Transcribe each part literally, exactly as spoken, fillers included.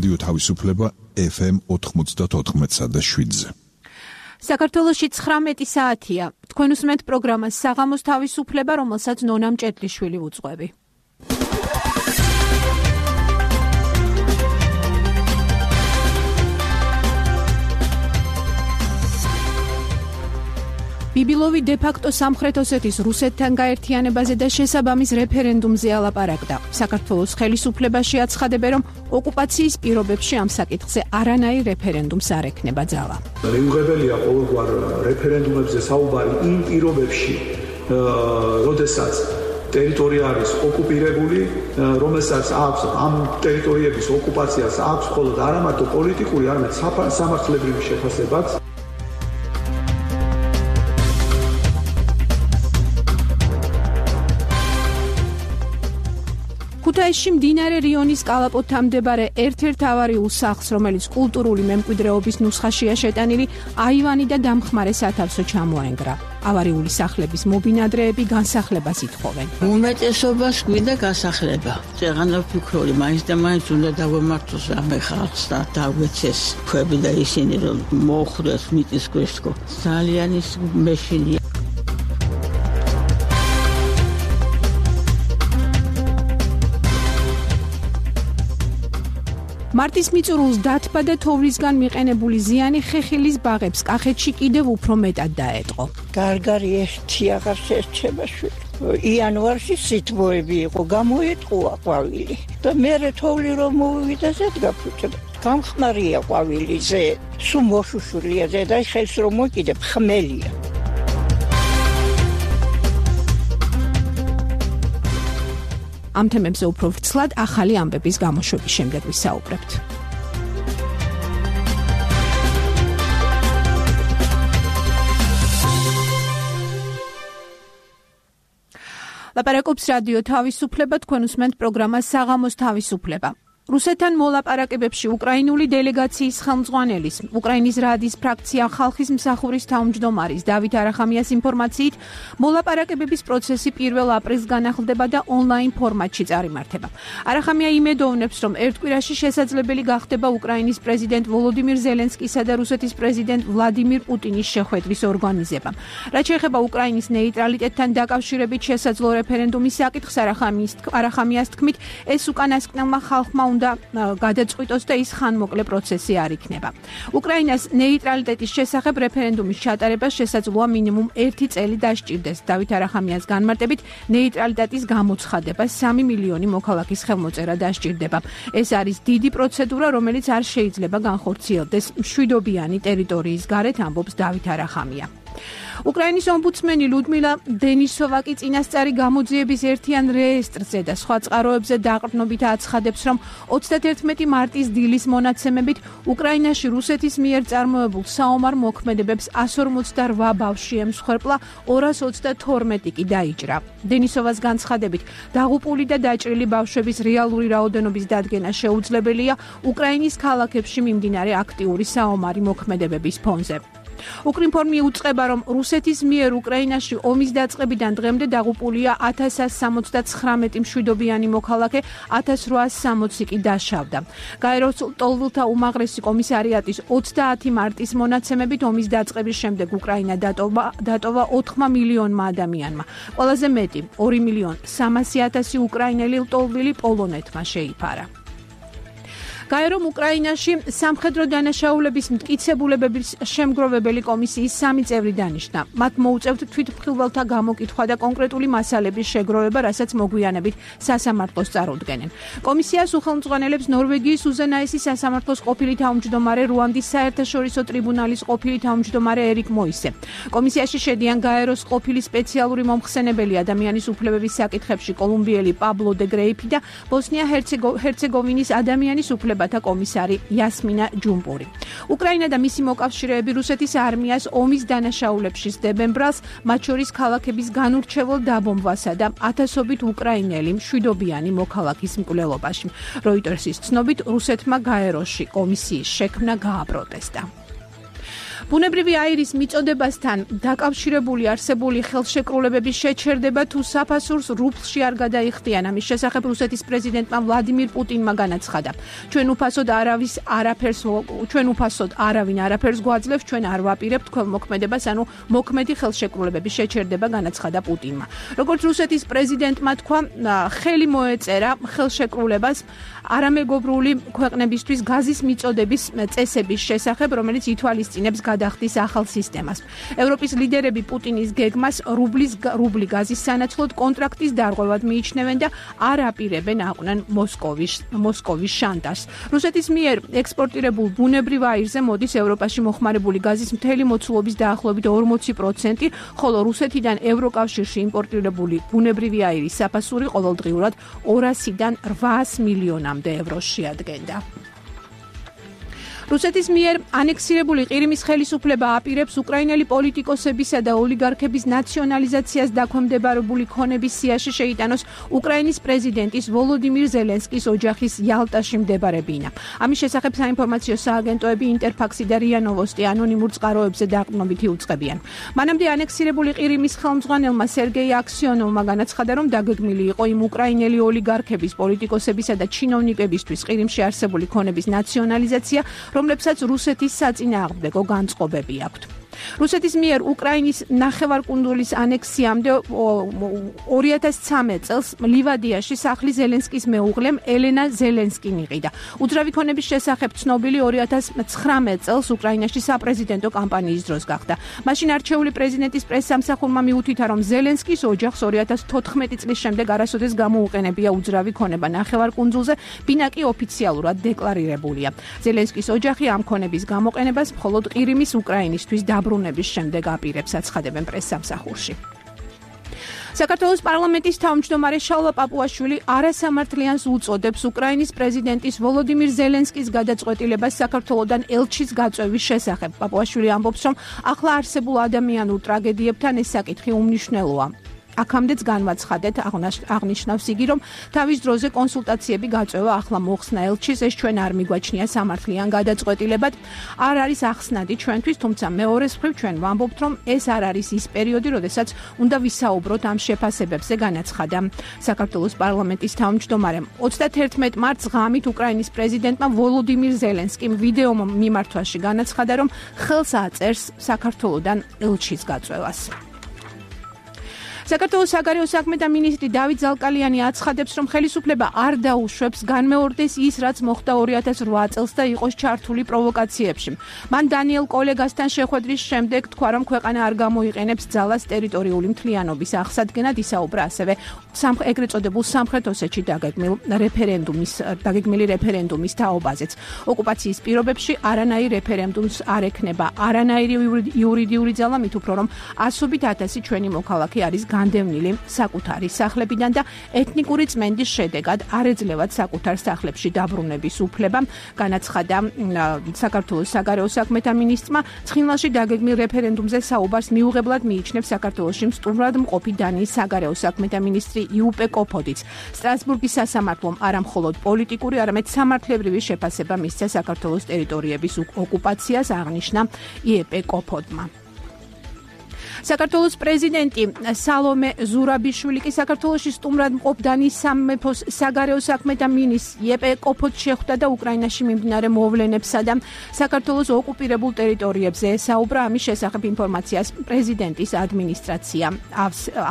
რადიო თავისუფლება ეფ ემ ოთხმოცდაოთხ და შვიდზე. საქართველოში ცხრამეტი საათია. თქვენ უსმენთ პროგრამას საღამოს თავისუფლება, რომელსაც ნონა მჭედლიშვილი უძღვები. ბიბილოვი დე-ფაქტო სამხრეთ ოსეთის რუსეთთან გაერთიანებაზე და შესაბამის რეფერენდუმზე ალაპარაკდა. საქართველოს ხელისუფლებაში აცხადებენ, რომ ოკუპაციის პირობებში ამ საკითხზე არანაირ რეფერენდუმს არ ექნება ძალა. მიუღებელია ყოველგვარ რეფერენდუმებზე საუბარი იმ პირობებში, როდესაც ტერიტორია არის ოკუპირებული, რომელსაც აქვს ამ ტერიტორიების ოკუპაციას აქვს მხოლოდ არა მარტო პოლიტიკური, არამედ სამართლებრივი შეფასებაც. ქუთაისში მდინარე რიონის კალაპოტთან მდებარე ერთ-ერთ ავარიულ სახლს, რომელიც კულტურული მემკვიდრეობის ნუსხაშია შეტანილი, აივანი და დამხმარე სათავსო ჩამოენგრა. ავარიული სახლების მობინადრეები განსახლებას ითხოვენ. უმეტესობას გვინდა განსახლება. წეღანა ფიქრობდი, მაინც და მაინც უნდა დავემართოს ამ ხალხს და დავეცეს ქვები და ისინი რომ მოხდეს მიწის ქვეშ თქო. ძალიან ის მეშინია. მარტის მიწურულს დათბა და თოვლისგან მიყენებული ზიანი ხეხილის ბაღებს კახეთში კიდევ უფრო მეტად დაეტყო. გარგარი ერთი აღარ შეერჩება შვილი. იანვარში სითბოები იყო, გამოეტყუა ყვავილი. და მერე თოვლი რომ მოვივიდა ზედგა ფუჭდა. გამხმარია ყვავილიზე, სულ მოშუშულია ზედა ხელს რომ მოკიდებ ხმელია. ამ თემებზე უფრო ვრცლად ახალი ამბების გამოშვების შემდეგ ვისაუბრებთ. ლაპარაკობს რადიო თავისუფლება, თქვენ უსმენთ პროგრამას საღამოს თავისუფლება. რუსეთთან მოლაპარაკებებში უკრაინული დელეგაციის ხელმძღვანელის, უკრაინის რადის ფრაქცია ხალხის მსახურის თავმჯდომარის დავით არახამიას ინფორმაციით, მოლაპარაკებების პროცესი პირველ აპრილს განახლდება და ონლაინ ფორმატში წარიმართება. არახამია იმედოვნებს, რომ ერთ კვირაში შესაძლებელი გახდება უკრაინის პრეზიდენტ ვოლოდიმირ ზელენსკისა და რუსეთის პრეზიდენტ ვლადიმირ პუტინის შეხვედრის ორგანიზება. რაც შეეხება უკრაინის ნეიტრალიტეტთან დაკავშირებით შესაძლო რეფერენდუმის საკითხს, არახამიას თქმით, ეს უკანასკნელმა ხალხმა უნდა გადაწყვიტოს და ის ხანმოკლე პროცესი არ იქნება. უკრაინას ნეიტრალიტეტის შესახებ რეფერენდუმის ჩატარებას შესაძლოა მინიმუმ ერთი წელი დასჭირდეს. დავით არახამიას განმარტებით, ნეიტრალიტეტის გამოცხადება სამი მილიონი მოქალაქის ხელმოწერა დასჭირდება. ეს არის დიდი პროცედურა, რომელიც არ შეიძლება განხორციელდეს მშვიდობიანი ტერიტორიის გარეთ, ამბობს დავით არახამია. უკრაინის ომბუდსმენი ლუდმილა დენისოვა კი წინასწარი გამოძიების ერთიან რეესტრზე და სხვა წყაროებზე დაყრდნობით აცხადებს, რომ ოცდაათი მარტის დილის მონაცემებით უკრაინაში რუსეთის მიერ წარმოებულ საომარ მოქმედებებს εκατს ორმოცდაოთხ ბავშვი ემსხვერპლა, ორას ოცდათორმეტი კი დაიჭრა. დენისოვას განცხადებით, დაღუპული და დაჭრილი ბავშვების რეალური რაოდენობის დადგენა შეუძლებელია უკრაინის ქალაქებში მიმდინარე აქტიური საომარი მოქმედებების ფონზე. უკრინფორმი უწყება, რომ რუსეთის მიერ უკრაინაში ომის დაწყებიდან დღემდე დაღუპულია ათას ასი სამოცდაცხრამეტი მშვიდობიანი მოქალაქე, ათას რვაას სამოცი კი დაშავდა. გაეროს ლტოლვილთა უმაღლესი კომისარიატის ოცდაათი მარტის მონაცემებით ომის დაწყების შემდეგ უკრაინა დატოვა დატოვა ოთხ მილიონმა ადამიანმა. ყველაზე მეტი ორი მილიონი სამასი ათასი უკრაინელი ლტოლვილი პოლონეთმა შეიფარა. გაერომ უკრაინაში სამხედრო დანაშაულების მტკიცებულებების შემგროვებელი კომისიის სამი წევრი დანიშნა. მათ მოუწევთ თვითმხილველთა გამოკითხვა და კონკრეტული მასალების შეგროვება, რასაც მოგვიანებით სასამართლოს წარუდგენენ. კომისიას უხელმძღვანელებს ნორვეგიის უზენაესი სასამართლოს ყოფილი თავმჯდომარე, რუანდის საერთაშორისო ტრიბუნალის ყოფილი თავმჯდომარე ერიკ მოისე. კომისიაში შედიან გაეროს ყოფილი სპეციალური მომხსენებელი ადამიანის უფლებების საკითხებში კოლუმბიელი პაბლო დე გრეიფი და ბოსნია-ჰერცეგოვინის ადამიანის უფლებების კომისარი იასმინა ჯუმპური. უკრაინა და მისი მოკავშირეები რუსეთის არმიას ომის დანაშაულებში სდებენ ბრალს, მათ შორის ქალაქების განურჩეველ დაბომბვასა და ათასობით უკრაინელი მშვიდობიანი მოქალაქის მკვლელობაში. როიტერსის ცნობით, რუსეთმა გაეროში კომისიის შექმნა გააპროტესტა. ბუნებრივი აირის მიწოდებასთან დაკავშირებული არსებული ხელშეკრულებების შეჩერდება თუ საფასურს რუბლში არ გადაიხდიან. ამის შესახებ რუსეთის პრეზიდენტმა ვლადიმირ პუტინმა განაცხადა. ჩვენ უფასოდ არავის არაფერს ჩვენ უფასოდ არავინ არაფერს გვაძლევს, ჩვენ არ ვაპირებთ ქველმოქმედებას, ანუ მოქმედი ხელშეკრულებების შეჩერდება, განაცხადა პუტინმა. როგორც რუსეთის პრეზიდენტმა თქვა, ხელი მოეწერა ხელშეკრულებას არამეგობრული ქვეყნებისთვის გაზის მიწოდების წესების შესახებ, რომელიც ითვალისწინებს გადახდის ახალ სისტემას. ევროპის ლიდერები პუტინის გეგმას რუბლის რუბლი გაზის სანაცვლოდ კონტრაქტის დარღვევად მიიჩნევენ და არ აპირებენ აყვნენ მოსკოვის მოსკოვის შანტაჟს. რუსეთის მიერ ექსპორტირებულ ბუნებრივ აირზე მოდის ევროპაში მოხმარებული გაზის მთელი მოცულობის დაახლოებით ორმოცი პროცენტი, ხოლო რუსეთიდან ევროკავშირში იმპორტირებული ბუნებრივი აირის საფასური ყოველდღიურად ორასიდან რვაას მილიონამდე ევროს შეადგენდა. რუსეთის მიერ ანექსირებული ყირიმის ხელისუფლება აპირებს უკრაინელი პოლიტიკოსებისა და ოლიგარქების ნაციონალიზაციას დაქვემდებარებული ქონების სიაში შეიტანოს უკრაინის პრეზიდენტის ვოლოდიმირ ზელენსკის ოჯახის იალტაში მდებარე ბინა. ამის შესახებ საინფორმაციო სააგენტოები ინტერფაქსი და რია ნოვოსტი ანონიმურ წყაროებზე დაყრდნობით იუწყებიან. მანამდე ანექსირებული ყირიმის ხელმძღვანელმა სერგეი აქსიონოვმა განაცხადა, რომ დაგეგმილი იყო იმ უკრაინელი ოლიგარქების, პოლიტიკოსებისა და ჩინოვნიკებისთვის ყირიმში არსებული ქონების ნაციონალიზაცია, რომლებსაც რუსეთის საწინააღმდეგო განწყობები აქვთ. რუსეთის მიერ უკრაინის ნახევარკუნძულის ანექსიამდე ორი ათას ცხრამეტ წელს ლივადიაში სახლი ზელენსკის მეუღლემ ელენა ზელენსკიმ იყიდა. უძრავი ქონების შესახებ ცნობილი ორი ათას ცხრამეტ წელს უკრაინაში საპრეზიდენტო კამპანიის დროს გახდა. მაშინ არჩეული პრეზიდენტის პრესსამსახურმა მიუთითა, რომ ზელენსკის ოჯახს ორი ათას თოთხმეტი წლის შემდეგ არასოდეს გამოუყენებია უძრავი ქონება ნახევარკუნძულზე, ბინა კი ოფიციალურად დეკლარირებულია. ზელენსკის ოჯახი ამ ქონების გამოყენებას მხოლოდ ყირიმის უკრაინისთვის დაბრუნების შემდეგ აპირებს, აცხადებენ პრესსამსახურში. საქართველოს პარლამენტის თავმჯდომარე შალვა პაპუაშვილი არასამართლიანს უწოდებს უკრაინის პრეზიდენტის ვოლოდიმირ ზელენსკის გადაწყვეტილებას საქართველოდან ელჩის გაწვევის შესახებ. პაპუაშვილი ამბობს, რომ ახლა არსებულ ადამიანურ ტრაგედიებთან ეს საკითხი უმნიშვნელოა. აქამდეც განვაცხადეთ, აღნიშნავს იგი, რომ თავის დროზე კონსულტაციები გაწევა ახლა მოხსნა ელჩის, ეს ჩვენ არ მიგვაჩნია სამართლიან გადაწყვეტილებად, არ არის ახსნადი ჩვენთვის, თუმცა მეორეს მხრივ ჩვენ ვამბობთ, რომ ეს არ არის ის პერიოდი, როდესაც უნდა ვისაუბროთ ამ შეფასებებზე, განაცხადა საქართველოს პარლამენტის თავმჯდომარემ. ოცდაათერთმეტ მარტს ღამით უკრაინის პრეზიდენტმა ვოლოდიმირ ზელენსკიმ ვიდეო მიმართვაში განაცხადა, რომ ხელს აწერს საქართველოდან ელჩის გაწევას. საქართველოს საგარეო საქმეთა მინისტრი დავით ზალკალიანი აცხადებს, რომ ხელისუფლება არ დაუშვებს განმეორდეს ის, რაც მოხდა ორი ათას რვა წელს და იყოს ჩართული პროვოკაციებში. მან დანიელ კოლეგასთან შეხვედრის შემდეგ თქვა, რომ ქვეყანა არ გამოიყენებს ძალას ტერიტორიული მთლიანობის აღსადგენად, ისაუბრა ასევე ეგრეთ წოდებულ სამხრეთ ოსეთში დაგეგმილ რეფერენდუმის დაგეგმილი რეფერენდუმის თაობაზეც. ოკუპაციის პირობებში არანაირ რეფერენდუმს არ ექნება არანაირი იურიდიული ძალა, მით უფრო რომ ასობით ათასი ჩვენი მოქალაქე არის განდევნილი საკუთარი სახლებიდან და ეთნიკური წმენდის შედეგად არ ეძლევათ საკუთარ სახლებში დაბრუნების უფლება, განაცხადა საქართველოს საგარეო საქმეთა მინისტრმა. ცხინვალში დაგეგმილ რეფერენდუმზე საუბარს მიუღებლად მიიჩნევს საქართველოში სტუმრად მყოფი დანიის საგარეო საქმეთა მინისტრი იუპე კოფოდიც. სტრასბურგის სასამართლომ არა მხოლოდ პოლიტიკური, არამედ სამართლებრივი შეფასება მისცა საქართველოს ტერიტორიების ოკუპაციას, აღნიშნა იუპე კოფოდმა. საქართველოს პრეზიდენტი სალომე ზურაბიშვილი კი საქართველოში სტუმრად მყოფ დანიის სამეფოს საგარეო საქმეთა მინისტრ იუპე კოფოდს შეხვდა და უკრაინაში მიმდინარე მოვლენებსა და საქართველოს ოკუპირებულ ტერიტორიებზე ესაუბრა. ამის შესახებ ინფორმაციას პრეზიდენტის ადმინისტრაცია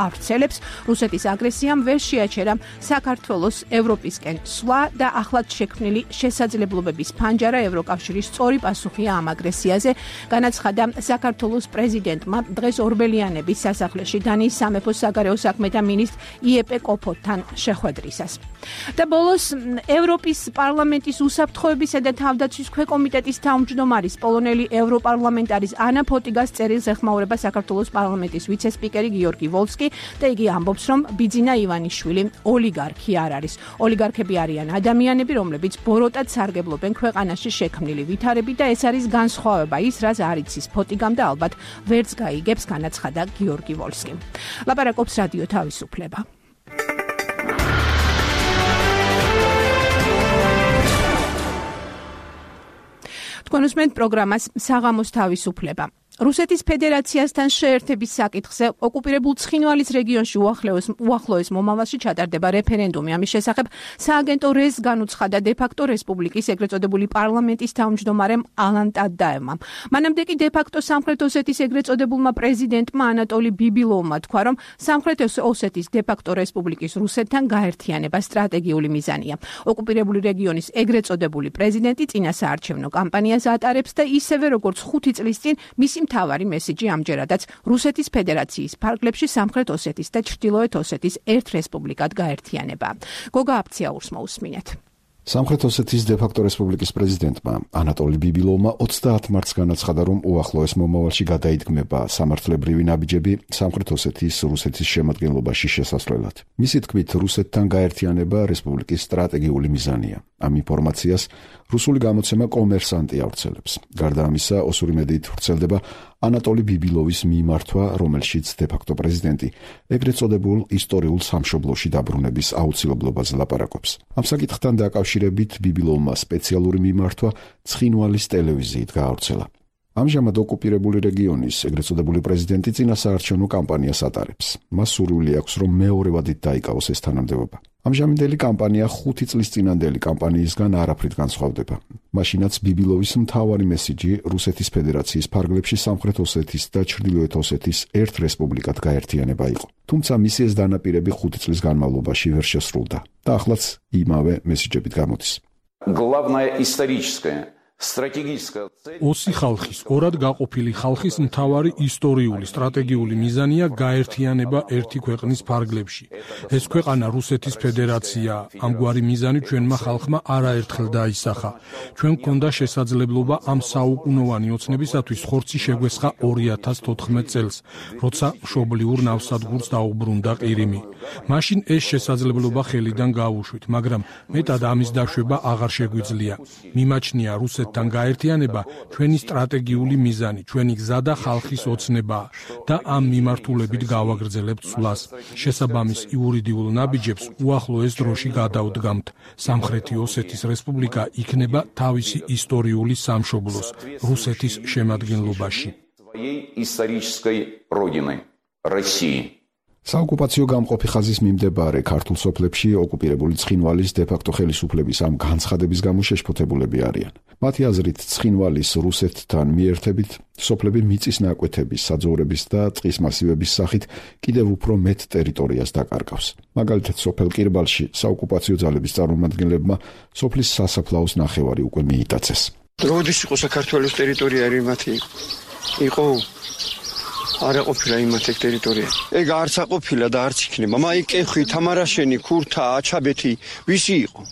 ავრცელებს. რუსეთის აგრესიამ ვერ შეაჩერა საქართველოს ევროპისკენ სვლა და ახლად შექმნილი შესაძლებლობების ფანჯარა ევროკავშირის სწორი პასუხია ამ აგრესიაზე, განაცხადა საქართველოს პრეზიდენტმა დღეს ორბელიანების სასახლეში დანიის სამეფოს საგარეო საქმეთა მინისტრ იუპე კოფოდთან შეხვედრისას. და ბოლოს ევროპის პარლამენტის უსაფრთხოებისა და თავდაცვის ქვეკომიტეტის თავმჯდომარის პოლონელი ევროპარლამენტარის ანა ფოტიგას წერილს ეხმაურება საქართველოს პარლამენტის ვიცე-სპიკერი გიორგი ვოლსკი და იგი ამბობს, რომ ბიძინა ივანიშვილი ოლიგარქი არ არის. ოლიგარქები არიან ადამიანები, რომლებიც ბოროტად სარგებლობენ ქვეყანაში შექმნილი ვითარებით და ეს არის განსხვავება ის, რაც არ იცის ფოტიგამ და ალბათ ვერც გაიგებს, განაცხადა გიორგი ვოლსკი. ლაპარაკობს რადიო თავისუფლება. თქვენ უსმენთ პროგრამას საღამოს თავისუფლება. რუსეთის ფედერაციასთან შეერთების საკითხზე ოკუპირებულ ცხინვალის რეგიონში უახლოეს უახლოეს მომავალში ჩატარდება რეფერენდუმი. ამის შესახებ სააგენტო რეზ განუცხადა დე-ფაქტო რესპუბლიკის ეგრეთ წოდებული პარლამენტის თავმჯდომარემ ალან ტადაევმა. მანამდე კი დე-ფაქტო სამხრეთ ოსეთის ეგრეთ წოდებულმა პრეზიდენტმა ანატოლი ბიბილოვმა თქვა, რომ სამხრეთ ოსეთის დე-ფაქტო რესპუბლიკის რუსეთთან გაერთიანება სტრატეგიული მიზანია. ოკუპირებული რეგიონის ეგრეთ წოდებული პრეზიდენტი წინასაარჩევნო კამპანიას ატარებს და ისევე როგორც ხუთი წლის წინ მისი მთავარი მესიჯი ამჯერადაც რუსეთის ფედერაციის ფარგლებში სამხრეთ ოსეთის და ჩრდილოეთ ოსეთის ერთ რესპუბლიკად გაერთიანება. გოგა აფციაურს მოусმინეთ. სამხრეთ ოსეთის დე-ფაქტო რესპუბლიკის პრეზიდენტმა ანატოლი ბიბილოვმა ოცდაათ მარტს განაცხადა, რომ უახლოეს მომავალში გადაიდგმება სამართლებრივი ნაბიჯები სამხრეთ ოსეთის რუსეთის შემადგენლობაში შესასვლელად. მისი თქმით, რუსეთთან გაერთიანება რესპუბლიკის სტრატეგიული მიზანია. ამ ინფორმაციას რუსული გამოცემა კომერსანტი ავრცელებს. გარდა ამისა, ოსური მედიით ვრცელდება ანატოლი ბიბილოვის მიმართვა, რომელშიც დე-ფაქტო პრეზიდენტი ეგრეთ წოდებულ ისტორიულ სამშობლოში დაბრუნების აუცილებლობაზე ლაპარაკობს. ამ საკითხთან დაკავშირებით ბიბილოვმა სპეციალური მიმართვა ცხინვალის ტელევიზიით გაავრცელა. ამჟამად ოკუპირებული რეგიონის ეგრეთ წოდებული პრეზიდენტი წინასაარჩევნო კამპანიას ატარებს. მას სურვილი აქვს, რომ მეორევადით დაიკავოს ეს თანამდებობა. ამჟამინდელი კამპანია ხუთი წლის წინანდელი კამპანიისგან არაფრით განსხვავდება. მაშინაც ბიბილოვის მთავარი მესიჯი რუსეთის ფედერაციის ფარგლებში სამხრეთ ოსეთის და ჩრდილოეთ ოსეთის ერთ რესპუბლიკად გაერთიანება იყო. თუმცა მისი ეს დანაპირები ხუთი წლის განმავლობაში ვერ შესრულდა და ახლაც იმავე მესიჯებით გამოდის. Главное историческое ოსი ხალხის, ორად გაყოფილი ხალხის მთავარი ისტორიული სტრატეგიული მიზანია გაერთიანება ერთი ქვეყნის ფარგლებში. ეს ქვეყანა რუსეთის ფედერაცია. ამგვარი მიზანი ჩვენმა ხალხმა არაერთხელ დაისახა. ჩვენ გვქონდა შესაძლებლობა ამ საუკუნოვანი ოცნებისათვის ხორცი შეგვესხა ორი ათას თოთხმეტ წელს, როცა მშობლიურ ნავსადგურს დაუბრუნდა ყირიმი. მაშინ ეს შესაძლებლობა ხელიდან გავუშვით, მაგრამ მეტად ამის დაშვება აღარ შეგვიძლია. მიმაჩნია რუსეთ თან გაერთიანება ჩვენი სტრატეგიული მიზანი, ჩვენი გზა და ხალხის ოცნებაა და ამ მიმართულებით გავაგრძელებთ სვლას. შესაბამის იურიდიულ ნაბიჯებს უახლოეს დროში გადავდგამთ. სამხრეთი ოსეთის რესპუბლიკა იქნება თავისი ისტორიული სამშობლოს, რუსეთის შემადგენლობაში. საოკუპაციო გამყოფი ხაზის მიმდებარე ქართულ სოფლებში ოკუპირებული ცხინვალის დე-ფაქტო ხელისუფლების ამ განცხადების გამო შეშფოთებულები არიან. მათი აზრით, ცხინვალის რუსეთთან მიერთებით სოფლები მიწის ნაკვეთების, საძოვრების და წყლის მასივების სახით კიდევ უფრო მეტ ტერიტორიას დაკარგავს. მაგალითად, სოფელ კირბალში საოკუპაციო ძალების წარმომადგენლებმა სოფლის სასაფლაოს ნახევარი უკვე მიიტაცეს. როდის იყო საქართველოს ტერიტორია მათი? იყო არა ყოფილა იმათ ეგ ტერიტორია. ეგ არც აყოფილა და არც იქნება. მაი კეხვი, თამარაშენი, ქურთა, აჩაბეთი, ვისი იყო?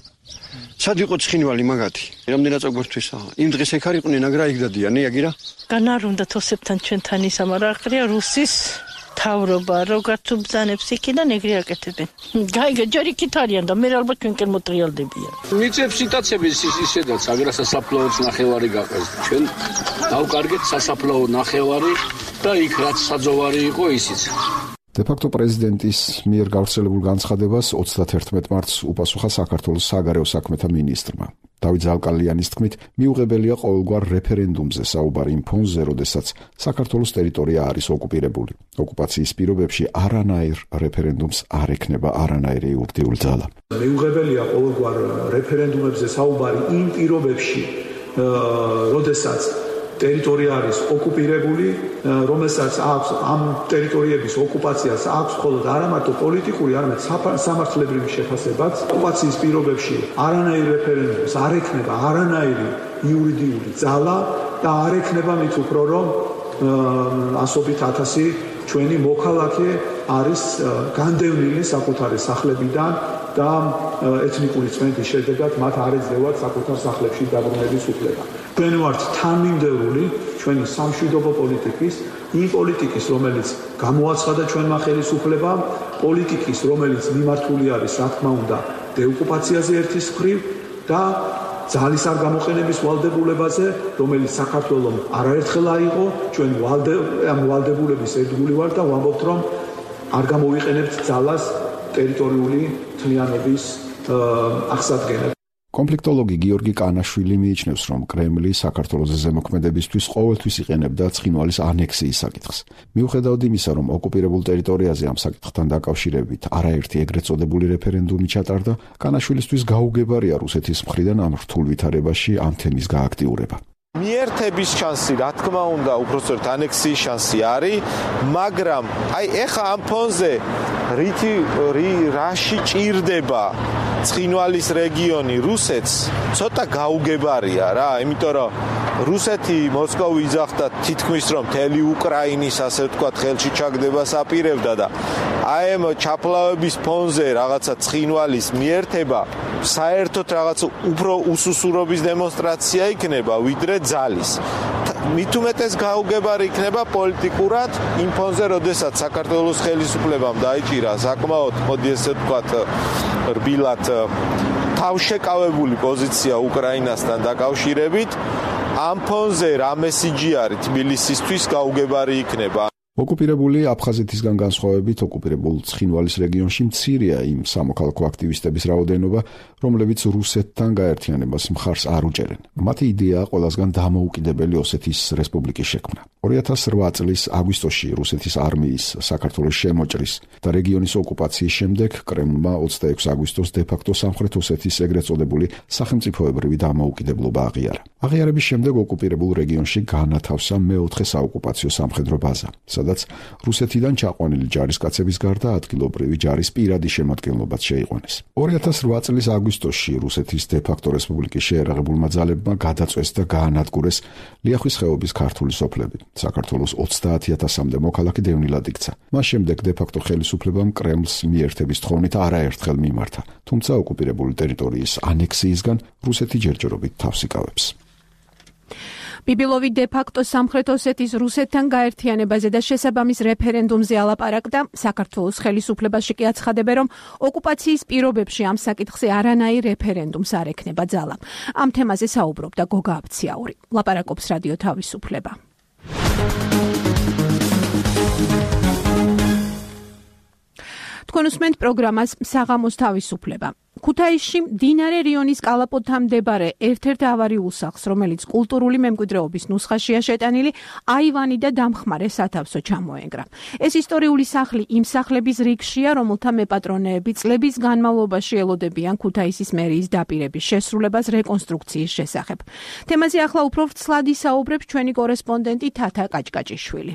სად იყო ცხინვალი მაგათი? რამდენად წაგვერთვისა? იმ დღეს ეგ არ იყვნენ, აგრა იქ დადიანე, აგირა? განარ უნდა თოსებთან ჩვენთან ისა, მაგრამ აყრია რუსის თავრობა, როგაც უბძანებს იქიდან ეგრე აკეთებენ. გაიგე, ჯერ იქით არიან და მე ალბათ ჩვენ კენ მოტრიალდებიან. მიწებს იტაცების ისედაც, აგრა სასაფლაოც ნახევარი გაყეს. ჩვენ დავკარგეთ სასაფლაო ნახევარი და იქ რაც საძოვარი იყო ისიც. დე-ფაქტო პრეზიდენტის მიერ გავრცელებულ განცხადებას ოცდათერთმეტ მარტს უპასუხა საქართველოს საგარეო საქმეთა მინისტრმა. დავით ზალკალიანის თქმით, მიუღებელია ყოველგვარ რეფერენდუმზე საუბარი იმ ფონზე, როდესაც საქართველოს ტერიტორია არის ოკუპირებული. ოკუპაციის პირობებში არანაირ რეფერენდუმს არ ექნება არანაირი იურიდიული ძალა. მიუღებელია ყოველგვარ რეფერენდუმებზე საუბარი იმ პირობებში, როდესაც ტერიტორია არის ოკუპირებული, რომელსაც აქვს ამ ტერიტორიების ოკუპაციას აქვს მხოლოდ არა მარტო პოლიტიკური, არამედ სამართლებრივი შეფასებაც. ოკუპაციის პირობებში არანაირ რეფერენდუმს არ ექნება არანაირი იურიდიული ძალა და არ ექნება მით უფრო რომ ასობით ათასი ჩვენი მოქალაქე არის განდევნილი საკუთარი სახლებიდან და ეთნიკური წმენდის შედეგად მათ არ ეძლევათ საკუთარ სახლებში დაბრუნების უფლება. ჩვენ ვართ თანმიმდევრული ჩვენი სამშვიდობო პოლიტიკის, იმ პოლიტიკის, რომელიც გამოაცხადა ჩვენმა ხელისუფლებამ, პოლიტიკის, რომელიც მიმართული არის, რა თქმა უნდა, დეოკუპაციაზე ერთის მხრივ და ძალის არ გამოყენების ვალდებულებაზე, რომელიც საქართველოს არაერთხელ აიღო, ჩვენ ამ ვალდებულების ერთგული ვართ და ვამბობთ, რომ არ გამოვიყენებთ ძალას ტერიტორიული თლიანობის აღსადგენად. კონფლიქტოლოგი გიორგი კანაშვილი მიიჩნევს, რომ კრემლი საქართველოს ზემოქმედებისთვის ყოველთვის იყენებდა ცხინვალის ანექსიის საკითხს. მიუხედავად იმისა, რომ ოკუპირებულ ტერიტორიაზე ამ საკითხთან დაკავშირებით არაერთი ეგრეთ წოდებული რეფერენდუმი ჩატარდა, კანაშვილისთვის გაუგებარია რუსეთის მხრიდან ამ რთულ ვითარებაში ამ თემის გააქტიურება. მიერთების შანსი, რა თქმა უნდა, უпростоრთ ანექსიის შანსი არის, მაგრამ აი ეხა ამ ფონზე რითი რაში ჭირდება ცხინვალის რეგიონი რუსეთს, ცოტა გაუგებარია რა, იმიტომ რომ რუსეთი მოსკოვი იძახდა თითქმის რომ მთელი უკრაინის ასე ვთქვათ ხელში ჩაგდებას აპირებდა და აი ამ ჩაფლავების ფონზე რაღაცა ცხინვალის მიერთება საერთოდ რაღაც უფრო უსუსურობის დემონსტრაცია იქნება ვიდრე ძალის. მით უმეტეს გაუგებარი იქნება პოლიტიკურად იმ ფონზე, როდესაც საქართველოს ხელისუფლებამ დაიჭირა საკმაოდ, მოდი ესე ვთქვათ, რბილად თავშეკავებული პოზიცია უკრაინასთან დაკავშირებით, ამ ფონზე რა მესიჯი არის თბილისისთვის გაუგებარი იქნება. ოკუპირებული აფხაზეთისგან განსხვავებით ოკუპირებულ ცხინვალის რეგიონში მცირეა იმ სამოქალაქო აქტივისტების რაოდენობა, რომლებიც რუსეთთან გაერთიანებას მხარს არ უჭერენ. მათი იდეაა ყველასგან დამოუკიდებელი ოსეთის რესპუბლიკის შექმნა. ორი ათას რვა წლის აგვისტოში რუსეთის არმიის საქართველოს შემოჭრის და რეგიონის ოკუპაციის შემდეგ კრემლმა ოცდაექვსი აგვისტოს დე-ფაქტო სამხრეთ ოსეთის ეგრეთ წოდებული სახელმწიფოებრივი დამოუკიდებლობა აღიარა. აღიარების შემდეგ ოკუპირებულ რეგიონში განათავსა მეოთხე საოკუპაციო სამხედრო ბაზა, სადაც რუსეთიდან ჩაყვანილი ჯარისკაცების გარდა ადგილობრივი ჯარის პირადი შემადგენლობაც შეიყვანეს. ორი ათას რვა წლის აგვისტოში რუსეთის დე-ფაქტო რესპუბლიკის შეერაღებულმა ძალებმა გადაწვეს და გაანადგურეს ლიახვის ხეობის ქართული სოფლები. საქართველოს ოცდაათი ათასამდე მოქალაქე დევნილად იქცა. მას შემდეგ დე-ფაქტო ხელისუფლებამ კრემლს მიერთების თხოვნით არაერთხელ მიმართა, თუმცა ოკუპირებული ტერიტორიის ანექსიისგან რუსეთი ჯერჯერობით თავს იკავებს. ბიბილოვი დე-ფაქტო სამხრეთ ოსეთის რუსეთთან გაერთიანებაზე და შესაბამის რეფერენდუმზე ალაპარაკდა. საქართველოს ხელისუფლებაში კი აცხადებენ, რომ ოკუპაციის პირობებში ამ საკითხზე არანაირ რეფერენდუმს არ ექნება ძალა. ამ თემაზე საუბრობდა გოგა აბციაური. ლაპარაკობს რადიო თავისუფლება. თქვენ უსმენთ პროგრამას საღამოს თავისუფლება. ქუთაისში მდინარე რიონის კალაპოტთან მდებარე ერთ-ერთ ავარიულ სახლს, რომელიც კულტურული მემკვიდრეობის ნუსხაშია შეტანილი, აივანი და დამხმარე სათავსო ჩამოენგრა. ეს ისტორიული სახლი იმ სახლების რიგშია, რომელთა მეპატრონეები წლების განმავლობაში ელოდებიან ქუთაისის მერიის დაპირების შესრულებას რეკონსტრუქციის შესახებ. თემაზე ახლა უფრო ვრცლად ისაუბრებს ჩვენი კორესპონდენტი თათა კაჭკაჭიშვილი.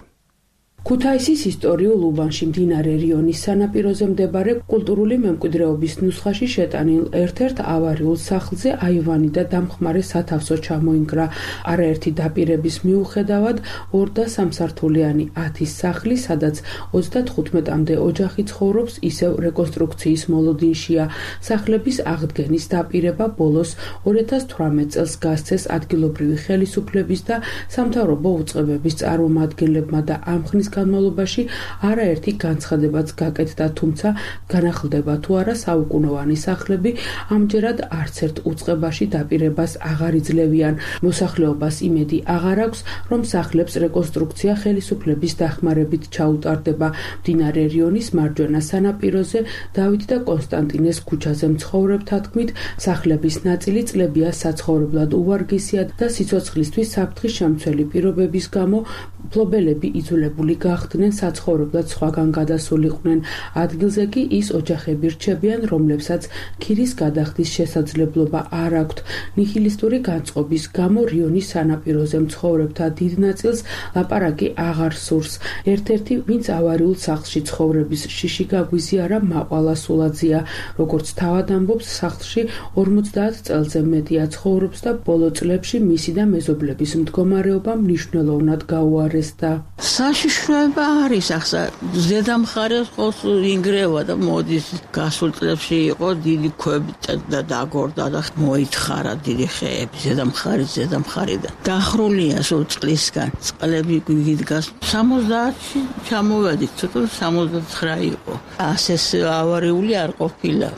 ქუთაისის ისტორიულ უბანში მდინარე რიონის სანაპიროზე მდებარე კულტურული მემკვიდრეობის ნუსხაში შეტანილ ერთ-ერთ ავარიულ სახლზე აივანი და დამხმარე სათავსო ჩამოინგრა. არაერთი დაპირების მიუხედავად ორ და სამსართულიანი ათის სახლი, სადაც ოცდათხუთმეტამდე ოჯახი ცხოვრობს, ისევ რეკონსტრუქციის მოლოდინშია. სახლების აღდგენის დაპირება ბოლოს ორი ათას თვრამეტ წელს გასცეს ადგილობრივი ხელისუფლების და სამთავრობო უწყებების წარმომადგენლებმა და ამ ხნის განმავლობაში არაერთი განცხადებაც გაკეთდა, თუმცა განახლდება თუ არა საუკუნოვანი სახლები ამჯერად არც ერთ უწყებაში დაპირებას აღარ იძლევიან. მოსახლეობას იმედი აღარ აქვს, რომ სახლებს რეკონსტრუქცია ხელისუფლების დახმარებით ჩაუტარდება. მდინარე რიონის მარჯვენა სანაპიროზე დავით და კონსტანტინეს ქუჩაზე მცხოვრებთა თქმით, სახლების ნაწილი წლებია საცხოვრებლად უვარგისია და სიცოცხლისთვის საფრთხის შემცველი პირობების გამო მფლობელები იძულებული გახდნენ საცხოვრებლად სხვაგან გადასულიყვნენ. ადგილზე კი ის ოჯახები რჩებიან, რომლებსაც ქირის გადახდის შესაძლებლობა არ აქვთ. ნიჰილისტური განწყობის გამო რიონის სანაპიროზე მცხოვრებთა დიდ ნაწილს ლაპარაკი აღარ სურს. ერთ-ერთი, ვინც ავარიულ სახლში ცხოვრების შიში გაგვიზიარა, მაყვალა სულაძეა. როგორც თავად ამბობს, სახლში ორმოცდაათ წელზე მეტია ცხოვრობს და ბოლო წლებში მისი და მეზობლების მდგომარეობა მნიშვნელოვნად გაუარესდა. საშიშროება არის ახლა ზედამხარეს ყოს ინგრევა და მოდის გასულ წლებში იყო დიდი ქვები და დაგორდა და მოითხარა დიდი ხეები ზედამხარი ზედამხარი და დახრულია სულ წლისგან წყლები გიდგას სამოცდაათში ჩამოვედით ცოტა სამოცდათხრა იყო ასეს ავარიული არ ყოფილა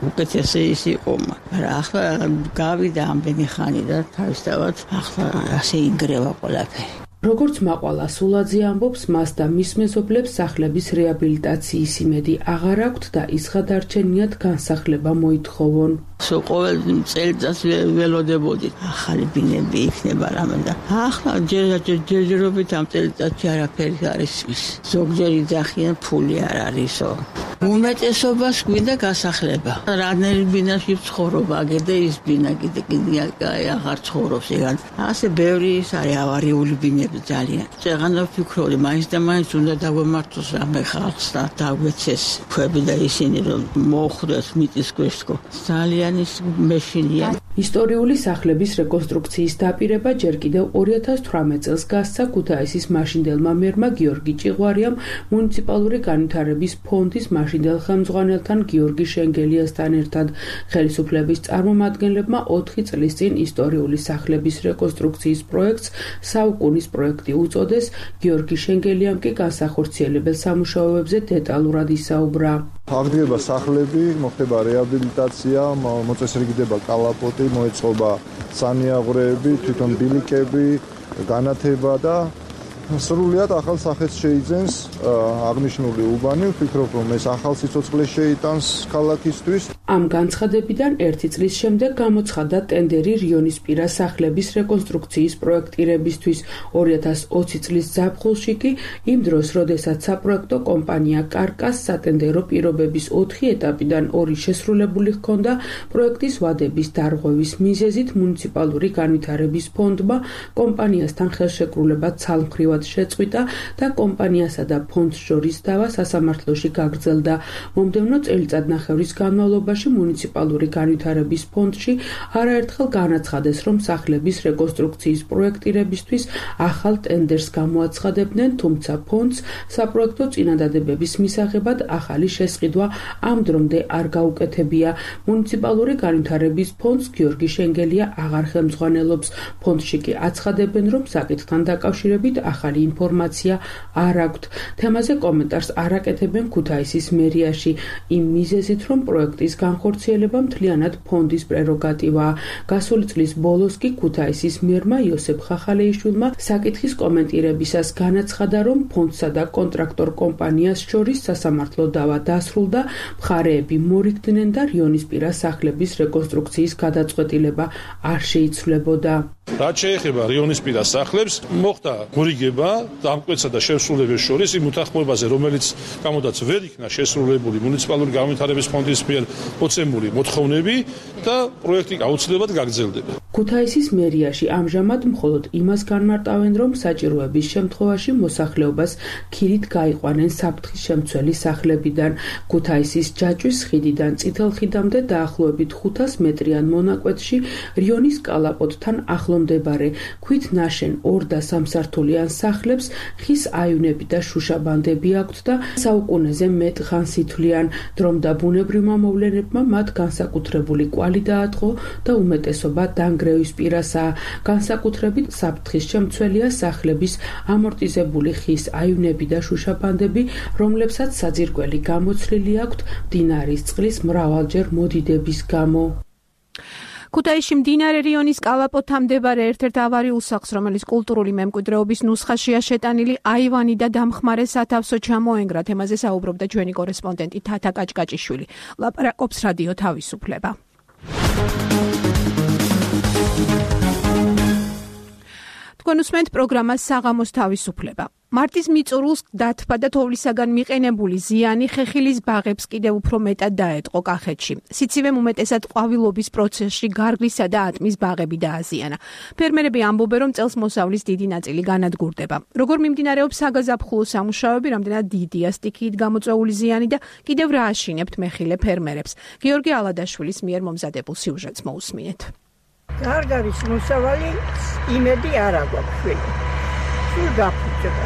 უკეთესი ის იყო მაგრამ ახლა გავიდა ამდენი ხანი და თავისთავად ახლა ასე ინგრევა ყველაფერი. როგორც მაყვალა სულაძე ამბობს, მას და მის მეზობლებს სახლების რეაბილიტაციის იმედი აღარ აქვთ და ის გადარჩენიათ განსახლება მოითხოვონ. სულ ყოველ წელიწადს ველოდებოდი ახალი ბინები იქნება რამე და ახლა ჯერჯერობით ამ წელიწადში არაფერი არის ის. ზოგჯერ იძახიან ფული არ არისო. უმეტესობას გვინდა გასახლება. რანერი ბინაში ცხოვრობ, აგერ და ის ბინა კიდე კიდე აღარ ცხოვრობს ეგან. ასე ბევრი ის არის ავარიული ბინები ძალიან. წეღანა ვფიქრობდი, მაინც და მაინც უნდა დაგვემართოს რამე ხალხს და დაგვეცეს ქვები და ისინი რომ მოხვდეს მიწისქვეშ თქო. ძალიან ის მეშინია. ისტორიული სახლების რეკონსტრუქციის დაპირება ჯერ კიდევ ორი ათას თვრამეტ წელს გასცა ქუთაისის მაშინდელმა მერმა გიორგი ჭიღვარიამ მუნიციპალური განვითარების ფონდის მაშინდელ ხელმძღვანელთან გიორგი შენგელიასთან ერთად. ხელისუფლების წარმომადგენლებმა ოთხი წლის წინ ისტორიული სახლების რეკონსტრუქციის პროექტს საუკუნის პროექტი უწოდეს. გიორგი შენგელიამ კი განსახორციელებელ სამუშაოებზე დეტალურად ისაუბრა. აღდგება სახლები, მოხდება რეაბილიტაცია, მოწესრიგდება კალაპოტი, მოეწყობა სანიაღვრეები, თვითონ ბილიკები, განათება და სრულიად ახალ სახეს შეიძენს აღნიშნული უბანი. ვფიქრობ, რომ ეს ახალ სიცოცხლეს შეიტანს ქალაქისთვის. ამ განცხადებიდან ერთი წლის შემდეგ გამოცხადდა ტენდერი რიონისპირა სახლების რეკონსტრუქციის პროექტირებისთვის. ორი ათას ოცი წლის ზაფხულში კი იმ დროს, როდესაც საპროექტო კომპანია კარკას სატენდერო პირობების ოთხი ეტაპიდან ორი შესრულებული ჰქონდა, პროექტის ვადების დარღვევის მიზეზით მუნიციპალური განვითარების ფონდმა კომპანიასთან ხელშეკრულება ცალმხრივად შეწყვიტა და კომპანიასა და ფონდს შორის დავა სასამართლოში გაგრძელდა. მომდევნო წელიწადნახევრის განმავლობაში მუნიციპალური განვითარების ფონდში არაერთხელ განაცხადეს, რომ სახლების რეკონსტრუქციის პროექტირებისთვის ახალ ტენდერს გამოაცხადებდნენ, თუმცა ფონდს საპროექტო წინადადებების მისაღებად ახალი შესყიდვა ამ დრომდე არ გაუკეთებია. მუნიციპალური განვითარების ფონდს გიორგი შენგელია აღარ ხელმძღვანელობს. ფონდში კი აცხადებენ, რომ საკითხთან დაკავშირებით ახალი ინფორმაცია არ აქვთ. თემაზე კომენტარს არ აკეთებენ ქუთაისის მერიაში, იმ მიზეზით, რომ პროექტის განხორციელება მთლიანად ფონდის პრეროგატივაა. გასული წლის ბოლოს კი ქუთაისის მერმა იოსებ ხახალეიშვილმა საკითხის კომენტირებისას განაცხადა, რომ ფონდსა და კონტრაქტორ კომპანიას შორის სასამართლო დავა დასრულდა, მხარეები მორიგდნენ და რიონისპირა სახლების რეკონსტრუქციის გადაწყვეტილება არ შეიცვლებოდა. რაც შეეხება რიონისპირა სახლებს, მოხდა გორიგება დამკვეთსა და შესრულების შორის იმ უთანხმოებაზე, რომელიც გამოდაც ვერ იქნა შესრულებული მუნიციპალური განვითარების ფონდის მიერ მოცემული მოთხოვნები და პროექტი აუცილებლად გაგრძელდება. ქუთაისის მერიაში ამჟამად მხოლოდ იმას განმარტავენ, რომ საჭიროების შემთხვევაში მოსახლეობას ქირით გაიყვანენ საფრთხის შემცველი სახლებიდან. ქუთაისის ჯაჭვის ხიდიდან წითელ ხიდამდე დაახლოებით ხუთას მეტრიან მონაკვეთში რიონის კალაპოტთან ახლომდებარე ქვით ნაშენ ორ და სამსართულიან სახლებს ხის აივნები და შუშაბანდები აქვთ და საუკუნეზე მეტ ხანს ითვლიან. დრომ და ბუნებრივმა მოვლენებმა მათ განსაკუთრებული კვალი დაატყო და უმეტესობა დანგრევის პირასაა. განსაკუთრებით საფრთხის შემცველია სახლების ამორტიზებული ხის აივნები და შუშაბანდები, რომლებსაც საძირკველი გამოცლილი აქვთ მდინარის წყლის მრავალჯერ მოდიდების გამო. ქუთაისში მდინარე რიონის კალაპოტთან მდებარე ერთ-ერთ ავარიულ სახლს, რომელიც კულტურული მემკვიდრეობის ნუსხაშია შეტანილი, აივანი და დამხმარე სათავსო ჩამოენგრა. თემაზე საუბრობდა ჩვენი კორესპონდენტი თათა კაჭკაჭიშვილი. ლაპარაკობს რადიო თავისუფლება. თქვენ უსმენთ პროგრამას საღამოს თავისუფლება. მარტის მიწურულს დათბა და თოვლისაგან მიყენებული ზიანი ხეხილის ბაღებს კიდევ უფრო მეტად დაეტყო კახეთში. სიცივემ უმეტესად ყვავილობის პროცესში გარგლისა და ატმის ბაღები დააზიანა. ფერმერები ამბობენ, რომ წელს მოსავლის დიდი ნაწილი განადგურდება. როგორ მიმდინარეობს საგაზაფხულო სამუშაოები, რამდენად დიდია სტიქიით გამოწვეული ზიანი და კიდევ რა აშინებთ მეხილე ფერმერებს. გიორგი ალადაშვილის მიერ მომზადებულ სიუჟეტს მოусმინეთ. გარგარის მოსავალი იმედი არ აქვს შვილი. სულ გაფუჭდა.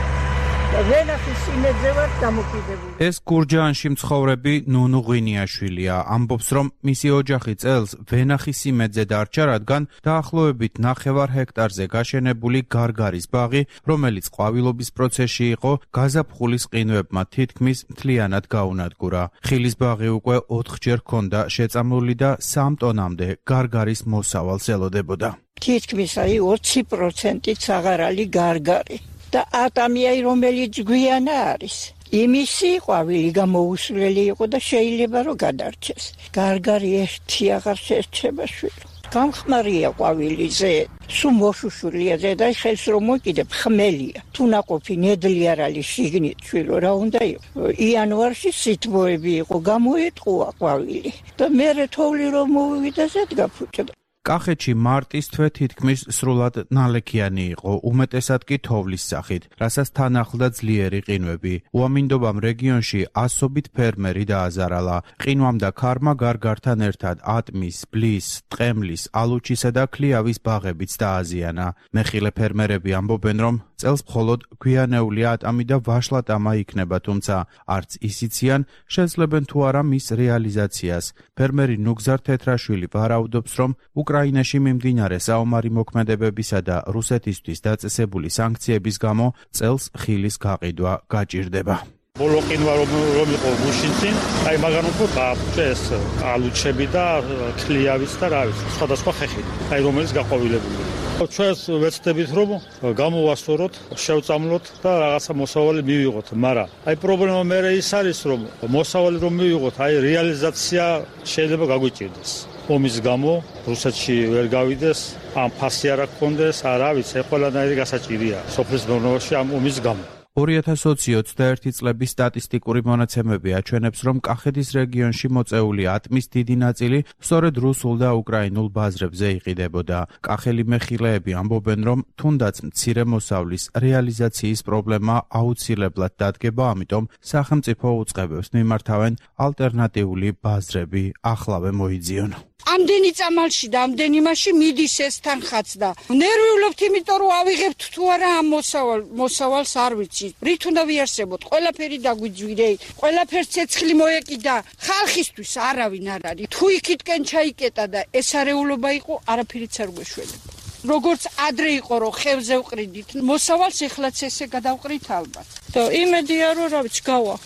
და ვენახის იმედზე ვარ დამოკიდებული. ეს გურჯაანში მცხოვრები ნუნუ ღვინიაშვილია. ამბობს, რომ მისი ოჯახი წელს ვენახის იმედზე დარჩა, რადგან დაახლოებით ნახევარ ჰექტარზე გაშენებული გარგარის ბაღი, რომელიც ყვავილობის პროცესში იყო, გაზაფხულის ყინვებმა თითქმის მთლიანად გაუნადგურა. ხილის ბაღი უკვე ოთხჯერ ჰქონდა შეწამლული და სამ ტონამდე გარგარის მოსავალს ელოდებოდა. თითქმის აი ოცი პროცენტით საღარალი გარგარი. და ატამიაი რომელიც გვიანა არის. იმისი ყვავილი გამოუსვლელი იყო და შეიძლება რომ გადარჩეს. გარგარი ერთი აღარ შეერჩება შვილო. გამხმარია ყვავილიზე, სულ მოშუშულია ზედა ხელს რომ მოკიდებ ხმელია. თუ ნაყოფი ნედლი არ არის შიგნით შვილო რა უნდა იყო. იანვარში სითბოები იყო, გამოეტყუა ყვავილი და მერე თოვლი რომ მოვივიდა ზედგა ფუჭდა. კახეთში მარტის თვე თითქმის სრულად ნალექიანი იყო, უმეტესად კი თოვლის სახით, რასაც თან ახლდა ძლიერი ყინვები. უამინდობამ რეგიონში ასობით ფერმერი დააზარალა. ყინვამ და ქარმა გარგართან ერთად ატმის, ბლის, ტყემლის, ალუჩისა და ქლიავის ბაღებიც დააზიანა. მეხილე ფერმერები ამბობენ, რომ წელს მხოლოდ გვიანეული ატამი და ვაშლატამა იქნება, თუმცა არც ისიციან, შეძლებენ თუ არა მის რეალიზაციას. ფერმერი ნუგზარ თეთრაშვილი ვარაუდობს, რომ უკრაინაში მიმდინარე საომარი მოქმედებებისა და რუსეთისთვის დაწესებული სანქციების გამო წელს ხილის გაყიდვა გაჭირდება. ბოლო ყინვა რომ იყო გუშინწინ, აი მაგან უფრო დააფუჭეს ალუჩები და ქლიავიც და რა ვიცი, სხვადასხვა ხეხილი, აი რომელიც გაყვავილებული. ჩვენს ვეცდებით რომ გამოვასწოროთ, შევწამლოთ და რაღაცა მოსავალი მივიღოთ, მაგრამ აი პრობლემა მე ის არის რომ მოსავალი რომ მივიღოთ, აი რეალიზაცია შეიძლება გაგვიჭირდეს. ომის გამო რუსეთში ვერ გავიდეს, ამ ფასი არ გქონდეს, არა ვიცი, ყველანაირი გასაჭირია სოფლის მეურნეობაში ამ ომის გამო. ორი ათას ოცი-ოცდაერთი წლების სტატისტიკური მონაცემები აჩვენებს, რომ კახეთის რეგიონში მოწეული ატმის დიდი ნაწილი სწორედ რუსულ და უკრაინულ ბაზრებზე იყიდებოდა. კახელი მეხილეები ამბობენ, რომ თუნდაც მცირე მოსავლის რეალიზაციის პრობლემა აუცილებლად დადგება, ამიტომ სახელმწიფო უწყებებს მიმართავენ ალტერნატიული ბაზრები ახლავე მოიძიონ. ამდენი წამალში და ამდენი მასში მიდის ეს თანხაც და ნერვიულობთ, იმიტომ რომ ავიღებთ თუ არა ამ მოსავალ მოსავალს არ ვიცი. რით უნდა ვიარსებოთ? ყველაფერი დაგვიძვირე, ყველაფერს ცეცხლი მოეკიდა. ხალხისთვის არავინ არ არის. თუ იქითკენ ჩაიკეტა და ეს არეულობა იყო, არაფერიც არ გვეშველება. როგორც ადრე იყო რომ ხევზე ვყრიდით, მოსავალს ეხლაც ესე გადავყრით ალბათ. და იმედია რომ რა ვიცი გავა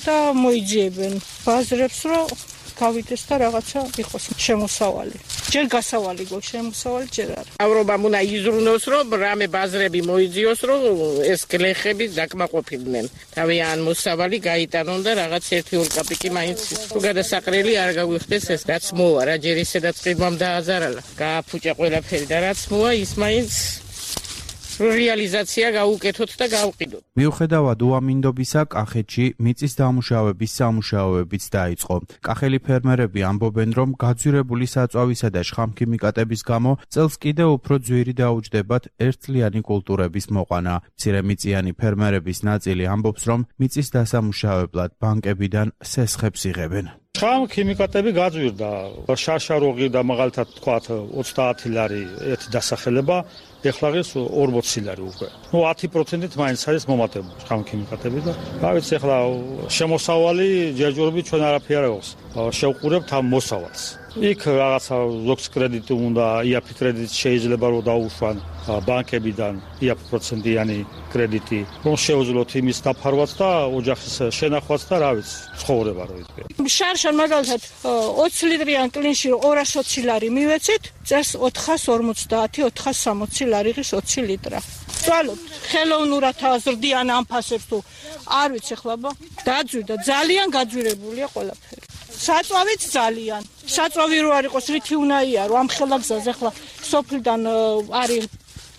და მოიძიებენ ბაზრებს რომ გავიდეს და რაღაცა იყოს შემოსავალი. ჯერ გასავალი გვაქვს, შემოსავალი ჯერ არა. ევროპამ უნდა იზრუნოს, რომ რამე ბაზრები მოიძიოს, რომ ეს გლეხები დაკმაყოფილდნენ. თავიანთ მოსავალი გაიტანონ და რაღაც ერთი ორ კაპიკი მაინც თუ გადასაყრელი არ გაგვიხდეს ეს რაც მოვა, რა ჯერ ისედაც ყიდვამ დააზარალა. გააფუჭა ყველაფერი და რაც მოვა, ის მაინც რეალიზაცია გაუკეთოთ და გავყიდოთ. მიუხედავად უამინდობისა, კახეთში მიწის დამუშავების სამუშაოებიც დაიწყო. კახელი ფერმერები ამბობენ, რომ გაძვირებული საწვავისა და შხამქიმიკატების გამო წელს კიდევ უფრო ძვირი დაუჯდებათ ერთწლიანი კულტურების მოყვანა. მცირემიწიანი ფერმერების ნაწილი ამბობს, რომ მიწის დასამუშავებლად ბანკებიდან სესხებს იღებენ. შხამ ქიმიკატები გაძვირდა. შაშაროღი და მაგალითად თქვათ ოცდაათი ლარი ერთი დასახელება, ეხლა ღირს ორმოცი ლარი უკვე. ნუ ათი პროცენტით მაინც არის მომატებული შხამ ქიმიკატები და რა ვიცი, ეხლა შემოსავალი ჯერჯერობით ჩვენ არაფერი არ აქვს. შევყურებთ ამ მოსავალს. იქ რაღაცა ზოგს კრედიტი უნდა, იაფი კრედიტი შეიძლება რომ დაუშვან ბანკებიდან იაფი პროცენტიანი კრედიტი, რომ შეუძლოთ იმის დაფარვაც და ოჯახის შენახვაც და რა ვიცი, ცხოვრება რო იქნება. შარშან მაგალითად ოცი ლიტრიან კლინში ორას ოცი ლარი მივეცით, წელს ოთხას ორმოცდაათი ოთხას სამოცი ლარი ღირს ოცი ლიტრა. წვალობთ ხელოვნურად აზრდიან ამ ფასებს თუ არ ვიცი ხლაბა, დაძვირდა, ძალიან გაძვირებულია ყველაფერი. საწვავიც ძალიან. საწვავი რო არ იყოს რითი უნდა იარო, ამ ხელაგზაზე ხლა სოფლიდან არის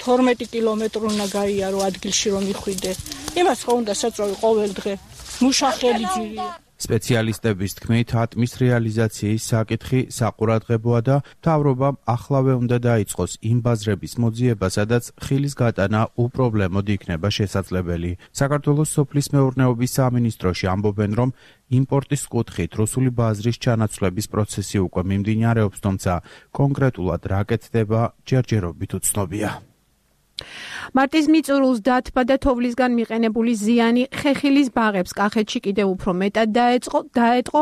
თორმეტი კილომეტრი უნდა გაიარო ადგილში რომ იხვიდე. იმას ხო უნდა საწვავი ყოველ დღე. მუშახელი ძირია. სპეციალისტების თქმით, ატმის რეალიზაციის საკითხი საყურადღებოა და მთავრობამ ახლავე უნდა დაიწყოს იმ ბაზრების მოძიება, სადაც ხილის გატანა უპრობლემოდ იქნება შესაძლებელი. საქართველოს სოფლის მეურნეობის სამინისტროში ამბობენ, რომ იმპორტის კუთხით რუსული ბაზრის ჩანაცვლების პროცესი უკვე მიმდინარეობს, თუმცა კონკრეტულად რა კეთდება ჯერჯერობით უცნობია. მარტის მიწურულს დათბა და თოვლისგან მიყენებული ზიანი ხეხილის ბაღებს კახეთში კიდევ უფრო მეტად დაეწყო, დაეტყო.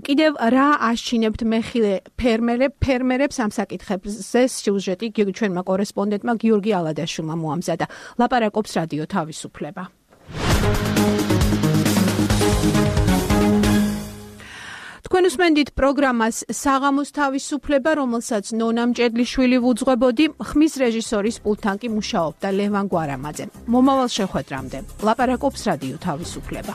კიდევ რა აშჩინებთ მეხილე ფერმერებ, ფერმერებს ამ საკითხებზე სიუჟეტი ჩვენმა კორესპონდენტმა გიორგი ალადაშვილმა მოამზადა. ლაპარაკობს რადიო თავისუფლება. თქვენ თქვენ უსმენთ პროგრამას საღამოს თავისუფლება, რომელსაც ნონა მჭედლიშვილი ვუძღვებოდი, ხმის რეჟისორის პულტთან კი მუშაობდა ლევან გვარამაძე. მომავალ შეხვედრამდე ლაპარაკობს რადიო თავისუფლება.